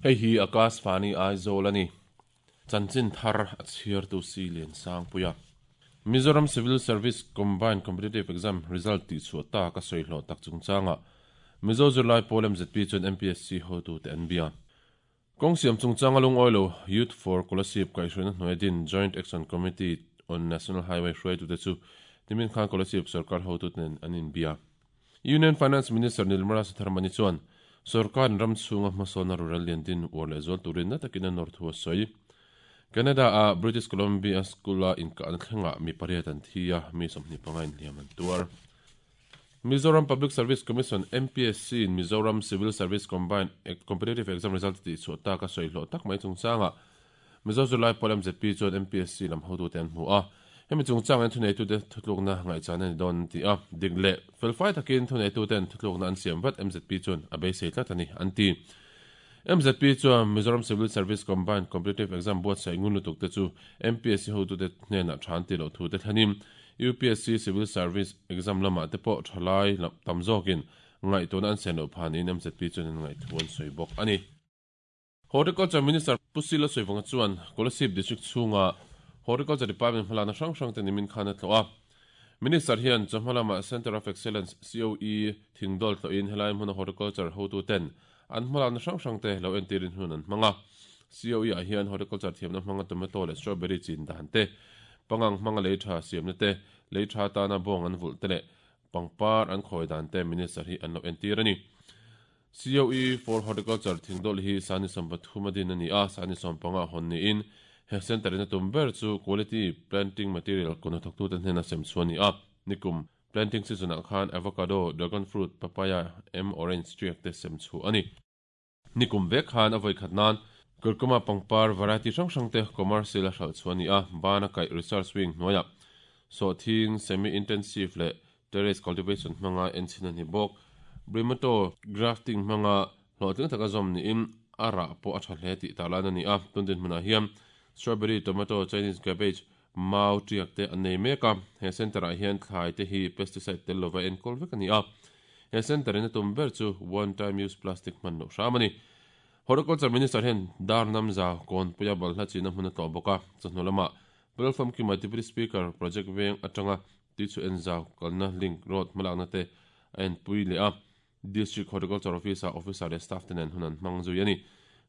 Hei hi Akashvani Aizawl a ni. Chanchin thar a chhiartu si Liansangpuia. Mizoram Civil Service Combined Competitive Exam result tihchhuah tak a sawi hlawh tak chungchangah Mizo zirlai pawl mzp chuan MPSC hotute an bia. Kawng siam chungchanga lungawi lo Youth for Kolasib kaihhruaina hnuaia din Joint Action Committee on National Highway hruaitute chu nimin khan Kolasib sorkar hotute nen an inbia. Union Finance Minister Nirmala Sitharaman-i chuan sorkarin ram chhunga hmasawnna rural lian din uar leh zual turin na takin a nawr thu a sawi. Canada-a British Columbia School-a inkahna thlengah mi pariat an thi a, mi 25 inhliam an tuar. Mizoram Public Service Commission, MPSC, in Mizoram Civil Service Combined Competitive Exam result tih chhuah tak a sawi hlawh tak mai chungchangah Mizo zirlai pawl mzp chuan MPSC lam hotute an hmu a. Hemi chungchangin thuneitute thutlukna ngaihchan a ni dawn an ti a. Dik leh felfai takin thuneituten thutlukna an siam vat mzp chuan a beisei tlat a ni, an ti. Mzp chuan Mizoram Civil Service Combined Competitive Exam buatsaih ngun lutuk te chu MPSC hotute hnenah tha an ti loh thu te thlenin UPSC Civil Service Exam lamah te pawh thalai tam zawkin ngaihtuahna an sen loh phah niin mzp chuan an ngaihthu an sawi bawk a ni. Horticulture Minister Pu Sila Sawivawnga chuan Kolasib District chhunga Horticulture Department hmalakna hrang hrang te nimin khan a tlawh a. Minister hian chawhma lama Centre of Excellence, COE, thingdawl tlawhin helai hmuna Horticulture hotuten an hmalakna hrang hrang te lo entirin hun an hmang a. COE ah hian Horticulture thiamna hmanga tomato leh strawberry chin dan te, pangang hmanga lei tha siamna te, lei tha atana bawng an vulh te leh pangpar an khawi dan te Minister hi an lo entir a ni. COE for Horticulture thingdawlh hi Sani 30 a din a ni a, Sani 15 a hawn niin he centre in a tum ber chu quality planting material kawn hnathawktute hnena sem chhuah a ni a. Nikum planting season ah khan avocado, dragon fruit, papaya, em orange tiak te sem chhuah a ni. Nikum vek khan a vawikhat nan Curcuma pangpar variety hrang hrang te commercial a hralh chhuah a ni a, bana kaih research wing hnuaiah sawhthing semi-intensive leh Terrace cultivation hmanga enchhin a ni bawk. Brimato grafting hmanga hlawhtling taka zawm niin a rah pawh a tha hle tih tarlan a ni a. Tun dinhmunah hian strawberry, tomato, Chinese cabbage, mau tiak te an nei mek a. He centre ah hian thlai te hi pesticide tel lova enkawl vek a ni a. He centre in a tum ber chu one time use plastic hman loh hram a ni. Horticulture Minister hian dar namza kawnpuia balhla china hmun a tlawh bawk a. Chawhnu lamah Platform Kima Deputy Speaker project veng atanga Tih chu Enzau kalna link road hmalakna te a enpui leh a, District Horticulture Office-ah officer leh staff te nen hun an hmang zui a ni.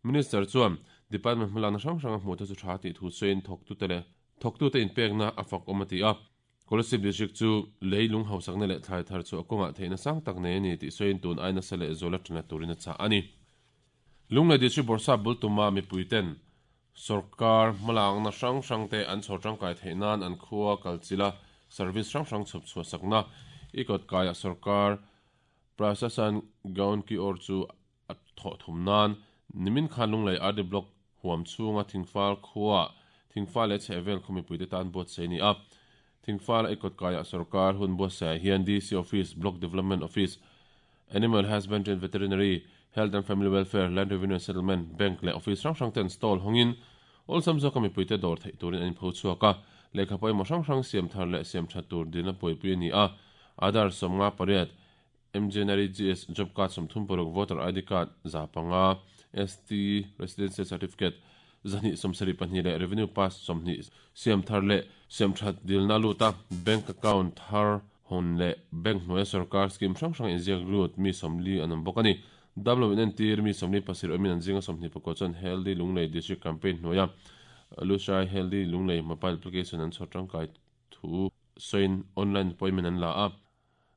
Minister chuan Department hmalakna hrang hrang a hmuh te chu tha tih thu sawiin thawktute leh thawktute inpekna a fak awm a ti a. Kolasib District chu lei lung hausakna leh thlai thar chhuah kawngah theihna sang tak nei a ni tih sawiin tun ai nasa leh zuala tana turin a chah a ni. Lunglei District Bawrhsap bul tuma mipuiten Sorkar hmalakna hrang hrangte an chhawr tangkai theih nan an khua kalchilh a, service hrang hrang chhawp chhuah sakna i kawt kaiah sorkar Prasasan Gaon Ki Or chu a thawh thum nan nimin khan Lunglei RD Block huam chhunga Thingfal khuaah Thingfal leh chhehvel khaw mipuite tan buatsaih a ni a. Thingfal a i kawt kaiah sorkar hun buatsaihah hian DC Office, Block Development Office, Animal Husbandry and Veterinary, Health and Family Welfare, Land Revenue and Settlement, Bank leh Office hrang hrang ten stall hawngin awlsam zawka mipuite dawr theih turin an inpho chhuak a, lehkha pawimawh hrang hrang siam thar leh siam that tur dilna buaipui a ni a, Aadhaar 58, MGNREGS Job Card 36, Voter ID Card 500, ST Residential Certificate 272 leh Revenue Pass 20 siam thar leh siam that dilna lut a, Bank Account thar Hawn leh bank hnuaia sorkar scheme hrang hrang inziak lut mi 40 an awm bawk a ni. Damlo inentir mi 47 awmin an zinga 24 chuan Healthy Lunglei District Campaign hnuaia Lushai Healthy Lunglei mobile application an chhawr tangkai thu sawiin online appointment an la a,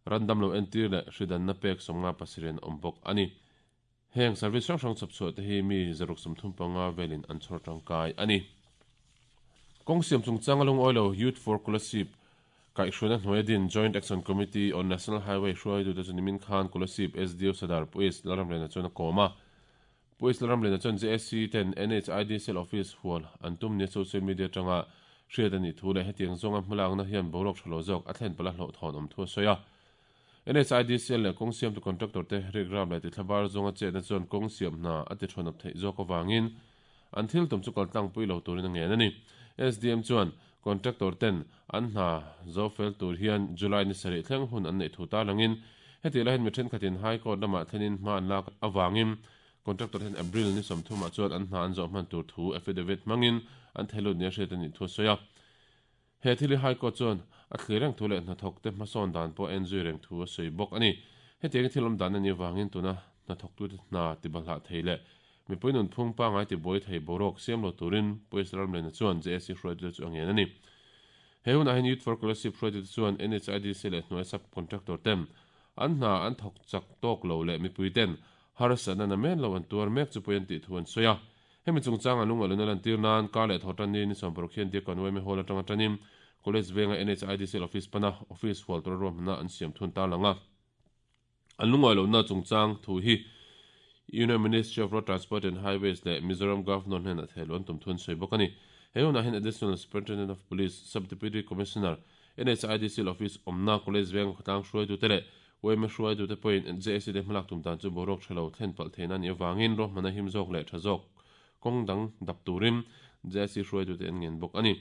ran damlo entir leh hridanna pek 57 an awm bawk a ni. Heng service hrang hrang chhawp chhuah te hi mi 135 velin an chhawr tangkai a ni. Kawng siam chungchanga lungawi lo Youth for Kolasib kaihhruaina hnuaia din Joint Action Committee on National Highway hruaitute chu nimin khan Kolasib SDO Sadar Pu Ace Lalramliana chuan a kawm a. Pu Ace Lalramliana chuan JSC ten NHID Cell Office hual an tum nia social media atanga hriat a nih thu leh hetiang zawnga hmalakna hian boruak tha lo zawk a thlen palh a hlauhthawn awm thu a sawi a. NHIDCL leh kawng siamtu contractor te rikram leh tithlabar zawnga chetna chuan kawng siam hna a ti thawnawp theih zawk avangin an thil tum chu kaltlangpui lo turin a ngen a ni. SDM chuan contractor ten an hna zo fel tur hian July ni sarih thleng hun an neih thu tarlangin hetih laiin mi thenkhatin High Court lamah thlenin hma an lak avangin. Contractor ten April ni 30 ah chuan an hna an zawh hman tur thu affidavit hmangin an theilut nia hriat a nih thu a sawi a. He thil hi High Court chuan a thlir reng thu leh hnathawk te hmasawn dan pawh a enzui reng thu a sawi bawk a ni. Hetiang thil awm dan a nih avangin tuna hnathawktute hna tibahlah thei leh mipui nunphung pangngai tibuai thei boruak siam lo turin Pu Ramlena chuan JSC hruaitute chu a ngen a ni. He hunah hian Youth for Kolasib hruaitute chuan NHIDC leh hnuai sub contractor ten an hna an thawk chak tawk lo leh mipui ten harsatna namen lo an tuar mek chu pawi an tih thu an sawi a. Hemi chungchang a lungaluna lantir nan kar leh thaw tan ni ni 60 hian Diakkawn YMA Hall atanga tanin College venga NHIDC office pana office hual tura ruahmanna an siam thun tarlang a. An lungawi lohna chungchang thu hi Union Ministry of Road Transport and Highways leh Mizoram Governor hnenah thehluh an tum thu an sawi bawk a ni. He hunah hian Additional Superintendent of Police, Sub-Deputy Commissioner, NHIDC office awmna College venga khawtlang hruaitute leh YMA hruaitute pawhin JAC te hmalak tum dan chu boruak tha lo thlen palh theihna a nih avangin ruahmanna him zawk leh tha zawk kawng dang dap turin JAC hruaitute an ngen bawk a ni.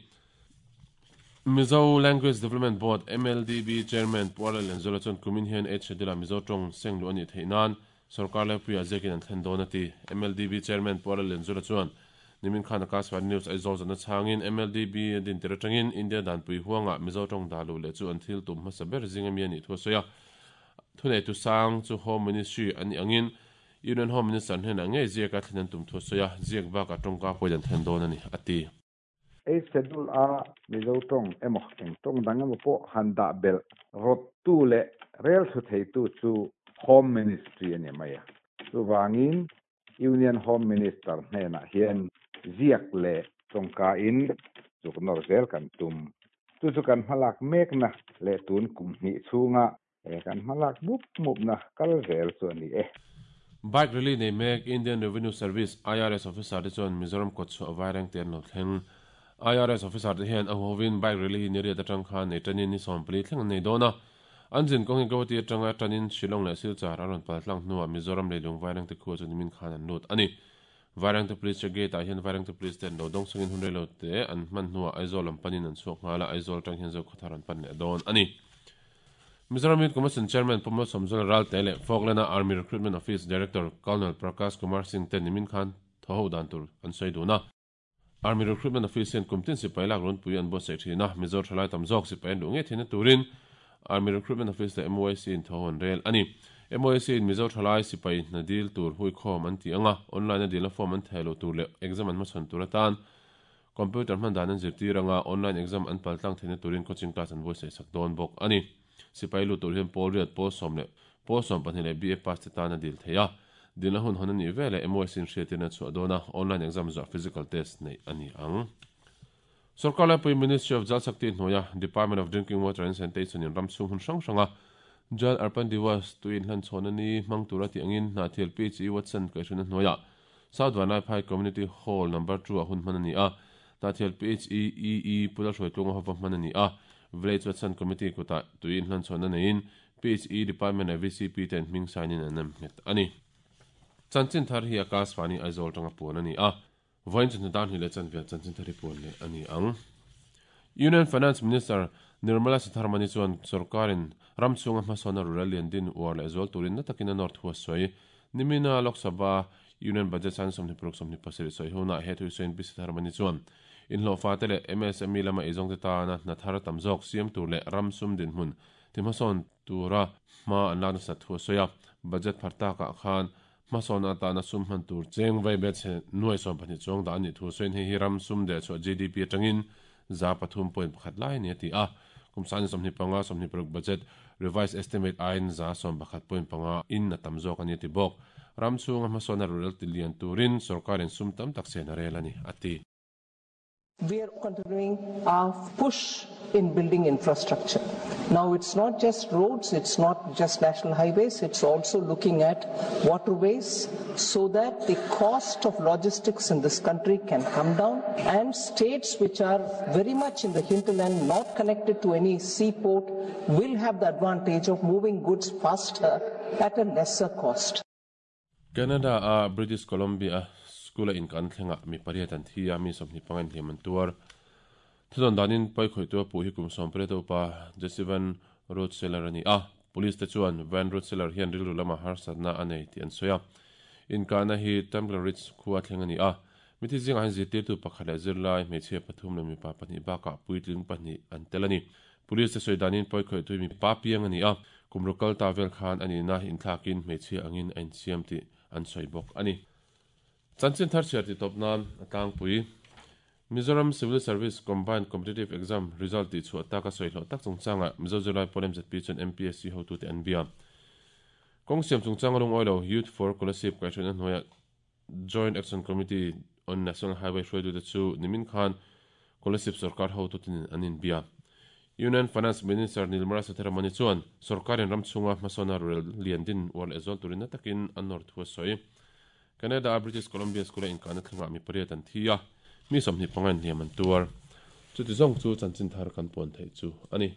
Mizo Language Development Board, MLDB, Chairman Pu Arlal Lianzuala chuan kumin hian Eight Schedule-ah Mizo tawng seng luh a nih theih nan sorkar laipuiah ziakin an thlen dawn a ti. MLDB Chairman Pu Arlal Lianzuala chuan nimin khan Akashvani News Aizawl zawhna chhangin MLDB a din tir atangin India danpui huangah Mizo tawng dah luh leh chu an thil tum hmasa ber zing ami a nih thu a sawi a. Thuneitu sang chu Home Ministry a nih angin Union Home Minister hnenah ngei ziaka thlen an tum thu a sawi a, ziak bakah tawngka pawhin an thlen dawn a ni, a ti. Eight Schedule a Mizo tawng emaw eng tawng dang emaw pawh han dah belh rawttu leh rel thu theitu chu Home Ministry a ni mai a. Chuvangin Union Home Minister hnenah hian ziak leh tawngka in zuk nawr zel kan tum. Chu chu kan hmalak mekna leh tun kum hnih chhunga he kan hmalak mup mupna kal zel chu a ni e. Bike rally nei mek Indian Revenue Service, IRS, officer te chuan Mizoram kawtchhuah vaireng te an lo thleng. IRS officer te hian a huhovin bike rally hi ni riat atang khan nei tanin ni 14 thleng an nei dawn a. An zin kawng hi Guwahati atanga tanin Shillong leh Silchar an rawn pal tlang hnuah Mizoram leilung vaireng te khua chu nimin khan an lut a ni. Vairengte Police check gate ah hian Vairengte Police te an lo dawng chungin hun reilo te an hman hnuah Aizawl lam panin an chhuak nghal a, Aizawl atang hian Zokhawthar an pan leh dawn a ni. Mizoram Youth Commission Chairman Pu Malsawmzuala Ralte leh Falkland-a Army Recruitment Office Director Colonel Prakash Kumar Singh te nimin khan thaw ho dan tur an sawi dun a. Army Recruitment Office hian kum tin sipai lak runpui an buatsaih thin a, Mizo thalai tam zawk sipai an luh ngei theihna turin Army Recruitment Office leh MYC in thaw ho an rel a ni. MYC in Mizo thalai sipai hna dil tur huikhawm an ti ang a, online a dilna form an theh loh tur leh exam an hmachhawn tur atan Computer hman dan an zirtir anga online exam an pal tlang theihna turin coaching class an buatsaih sak dawn bawk a ni. Sipai lut tur hian pawl riat, pawl sawm leh pawl 12 leh BA pass te tan a dil thei a. Dilna hun hawn a nih veleh MYC in hriatirna a chhuah dawn a, online exam zuah physical test neih a ni ang. Sorkar laipui Ministry of Jal Shakti hnuaia Department of Drinking Water and Sanitation in ram chhung hun hrang hranga Jal Arpan Diwas tui inhlanchhawn a ni hmang tura tih angin Hnahthial PHE Watson kaihhruina hnuaiah South Vanlaiphai Community Hall Number 2 ah hun hman a ni a, Hnahthial PHE EE Pu Lalhruaitlunga hova hman a ni a, Village Watson Committee kutah tui inhlanchhawnna neiin PHE Department leh VCP ten hming sign in an nem nghet a ni. Chanchin thar hi Akashvani Aizawl tanga puan a ni a, vawiin chawhnu dar hnih leh chanve chanchin thar hi puan leh a ni ang. Union Finance Minister Nirmala Sitharaman-i chuan sorkarin ram chhunga hmasawnna rural lian din uar leh zual turin na takin a nawr thu a sawi. Nimina Lok Sabha Union Budget san 26 27 sawi hunah he thu sawiin Pi Sitharaman-i chuan inhlawhfa te leh MSME lama eizawngte tana hna thar tam zawk siam tur leh ram sum dinhmun ti hmasawn tura hma an lak nasat thu a sawi a. Budget phar takah khan hmasawn atana sum hman tur cheng vai bet chhe nuai 12 chuang dah a nih thu sawiin hei hi ram sum deh chhuah GDP atangin 3.1 lai a ni a ti a. Kum 25 26 budget revised estimate aiin 11.5 in a tam zawk a ni a ti bawk. Ram chhunga hmasawn a rurel ti lian turin sorkarin sum tam tak chen a rel a ni a ti. We are continuing our push in building infrastructure. Now it's not just roads, it's not just national highways, it's also looking at waterways so that the cost of logistics in this country can come down and states which are very much in the hinterland, not connected to any seaport, will have the advantage of moving goods faster at a lesser cost. Canada a British Columbia school a in kan thlengah mi pariat an thi a, mi 25 in hliam an tuar. Thudawn danin pai khawihtu a puh hi kum 18 upa Jesse Van Rootselaar a ni a. Police te chuan Van Rootselaar hian rilru lama harsatna a nei tih an sawi a. Inkahna hi Tumbler Ridge khua thleng a ni a, mithi zingah hian zirtirtu pakhat leh zirlai, hmeichhia pathum leh mipa pahnih bakah puitling pahnih an tel a ni. Police te sawi danin pawikhawihtu hi mipa piang a ni a, kum ruk kal ta vel khan a nihna inthlakin hmeichhia angin a insiam tih an sawi bawk a ni. Chanchin thar chhiar tih tawp nan a tlangpui. Mizoram Civil Service Combined Competitive Exam result tih chhuah tak a sawi hlawh tak chungchangah Mizo zirlai pawl MZP chuan MPSC hotute an bia. Kawng siam chungchanga lungawi lo Youth for Kolasib kaihhruaina hnuaiah Joint Action Committee on National Highway hruaitute chu nimin khan Kolasib sorkar hotutin an inbia. Union Finance Minister Nirmala Sitharaman-i chuan sorkarin ram chhunga hmasawna rorel lian din uar leh zual turin na takin a nawr thu a sawi. Canada-a British Columbia School-a inkahna thlengah mi pariat an thi a, mi 25 in hliam an tuar. Chuti zawng chu chanchin thar kan puan theih chu a ni.